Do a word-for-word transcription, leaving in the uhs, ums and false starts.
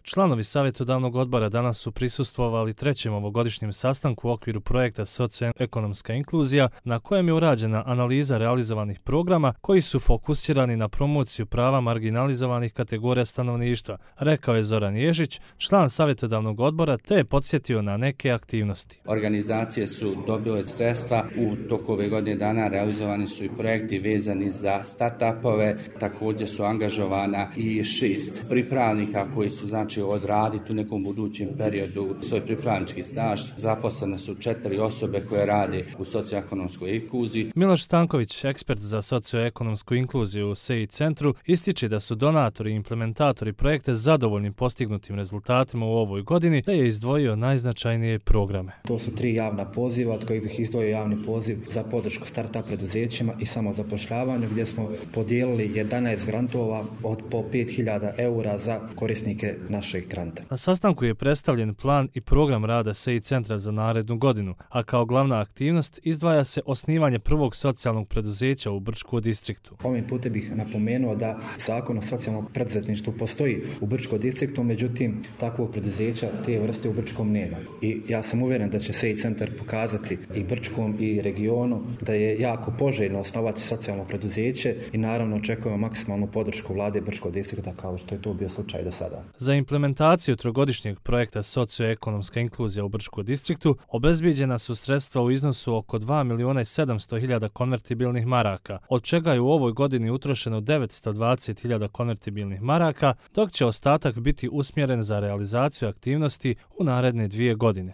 Članovi savjetodavnog odbora danas su prisustvovali trećem ovogodišnjem sastanku u okviru projekta Socioekonomska inkluzija, na kojem je urađena analiza realizovanih programa koji su fokusirani na promociju prava marginalizovanih kategorija stanovništva, rekao je Zoran Ježić, član savjetodavnog odbora, te je podsjetio na neke aktivnosti. Organizacije su dobile sredstva, u toku ove godine dana realizovani su i projekti vezani za start-upove, također su angažovana i šest pripravnika koji su znači odraditi u nekom budućem periodu svoj pripravnički staž. Zaposlene su četiri osobe koje rade u socioekonomskoj inkluziji. Miloš Stanković, ekspert za socioekonomsku inkluziju u S E I centru, ističe da su donatori i implementatori projekta zadovoljni postignutim rezultatima u ovoj godini, te je izdvojio najznačajnije programe. To su tri javna poziva, od kojih bih izdvojio javni poziv za podršku start-up preduzećima i samozapošljavanju, gdje smo podijelili jedanaest grantova od po pet hiljada eura za korisnike našeg granta. Na sastanku je predstavljen plan i program rada S E I centra za narednu godinu, a kao glavna aktivnost izdvaja se osnivanje prvog socijalnog preduzeća u Brčkom distriktu. Ovim putem bih napomenuo da zakon o socijalnom preduzetništvu postoji u Brčkom distriktu, međutim takvog preduzeća te vrste u Brčkom nema. I ja sam uvjeren da će S E I centar pokazati i Brčkom i regionu da je jako poželjno osnovati socijalno preduzeće i naravno očekujemo maksimalnu podršku vlade Brčkog distrikta kao što je to bio slučaj do sada. Za implementaciju trogodišnjeg projekta Socioekonomska inkluzija u Brčkom distriktu obezbijeđena su sredstva u iznosu oko dva miliona i sedamsto hiljada konvertibilnih maraka, od čega je u ovoj godini utrošeno devetsto dvadeset hiljada konvertibilnih maraka, dok će ostatak biti usmjeren za realizaciju aktivnosti u naredne dvije godine.